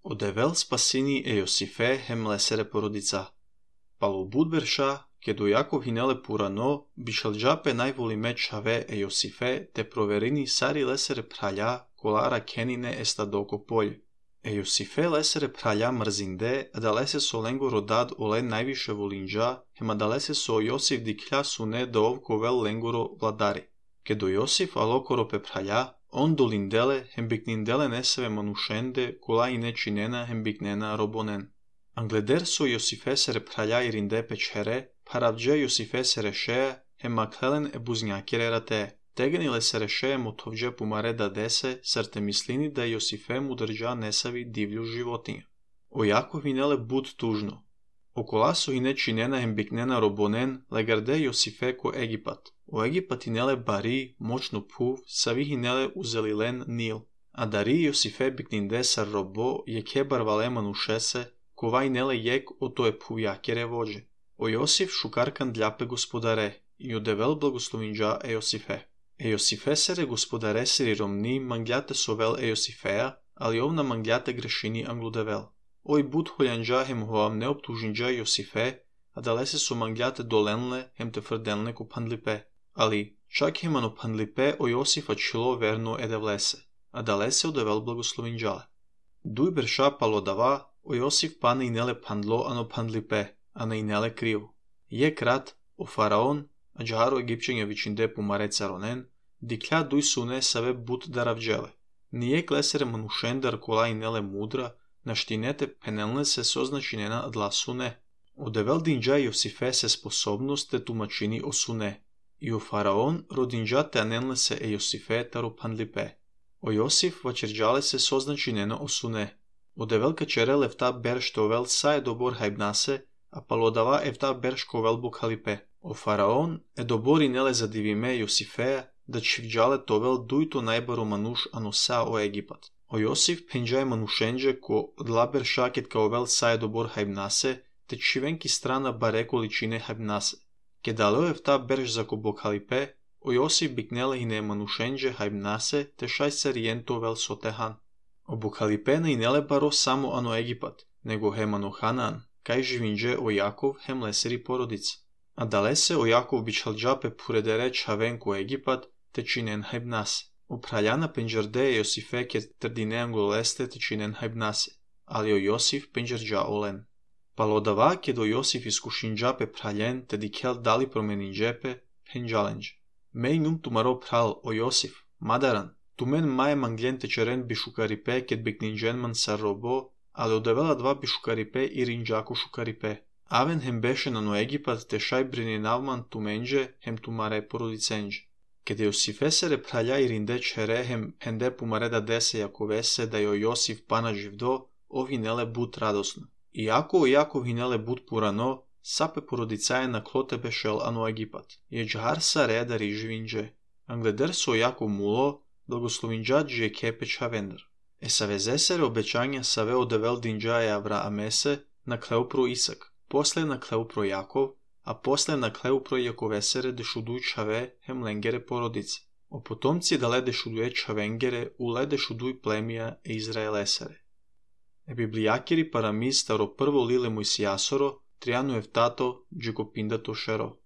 Odevel spasini e Iosife hem lesere porodica. Palo budbersha, kedo Jakov hinele purano, bishaljape najvoli mečave e Iosife, te proverini sari lesere pralja, kolara kenine estadoko polje. E Iosife lesere pralja mrzinde, adalese so lengo rodad ole najviše volinđa, hem adalese so Iosif diklja sune da ovkovel lengoro vladari. Kedo Iosif alokoro pe pralja, on dolindele hem biknindele neseve manušende, kola i nečinena hem biknena robonen. Angleder so Iosife sere pralja irinde pečhere, paravđe Iosife sere šeja, hem maklelen e buznjakire rate. Tegenile sere šeje motovđe pumare da dese, srte mislini da Iosife mu drža nesavi divlju životinju. O Jakov hinele bud tužno. Okola so i nečinena hem biknena robonen, legarde Iosife ko Egipat. O Egipat hinele bari, moćno puv, savi hinele uzeli len Nil. A dari Iosife bikninde sar robo, je kebar vale manušese, kova hinele jek o to je puvjakere vođe. O Iosif šukarkan dljape gospodare, i odevel blagoslovinđa Iosife. Iosife sere gospodare seri romni mangljate sovel Iosifeja, ali ovna mangljate grešini angludevel. Oj bud holjanđa hem hoam neoptužinđa Iosife, a dalese so mangljate dolenle hem te frdenle ko pandlipe. Ali čak hem ano pandlipe o Iosifa čilo verno edevlese, a dalese odevel blagoslovinđale. Duj berša palodava, o Iosif pane inele pandlo ano pandlipe, a ne inele krivo. Je krat, o faraon, a džaharo Egipćenja vičinde pumare caronen, diklja duj sune save but daravđele. Nije klesere manušendar kola inele mudra, naštinete penelne se soznačinena adla sune. Odevel dinđa Iosife se sposobnost te tumačini o sune. I o faraon rodinđa te anenle se Iosife taro pandlipe. O Iosif vačerđale se soznačinena o sune. Odevel kačere lefta berštovel saje dobor hajbnase, a palodava evta berškovel bukhalipe. O faraon edobor inele zadivime Iosifeja, da čivđale tovel dujto najbaro manuš anosa o Egipat. O Iosif penđaje manušenđe ko dlaber šaket kaovel saje dobor hajbnase, te čivenki strana bare količine hajbnase. Kedaleo evta berš zako bukhalipe, o Iosif biknele hine manušenđe hajbnase, te šaj serijentovel sotehan. O bukhalipe ne inele baro samo ano Egipat, nego hem ano Hanan, kaj živinđe o Jakov hem leseri porodice. A dalese o Jakov bičhalđape puredere čavenku Egipat, te činen hajbnase. O praljana penđarde Iosife ke trdine angoleste te činen hajbnase, ali o Iosif penđarđa olen. Palodava ke do Iosif iskušinđape praljen te dikel dali promeninđepe penđalenđe. Mej num tumaro pral o Iosif, madaran, tumen maje mangljen te čeren bišukaripe ket bikninđenman sar robo, ali odevela dva bišukaripe i rinđaku šukaripe. Aven hem bešenan o Egipat te šaj brininavman tumenđe hem tumare porodicenđe. Kede Iosife sere pralja i rinde čere hem pende pumare da dese Jakovese da jo Iosif pana živdo, o hinele but radosno. Iako o Jakov hinele but purano, sape porodicaje na klote bešel ano Egipat. Je džahar sa reda riživinđe. Angleder so Jakov mulo, blagoslovinđa džije kepeča vendar. Esaveze sere obećanja save odevel dinđaje Avraamese na kleupro Isak, posle na kleupro Jakov, a posle na kleupro Jakovesere dešuduj čave hem lengere porodice. O potomci dale dešuduje čavengere ule dešuduj plemija e Izraelesere. E biblijakiri paramiz staro prvo lile Mojsijasoro, trianu evtato džikopindato šero.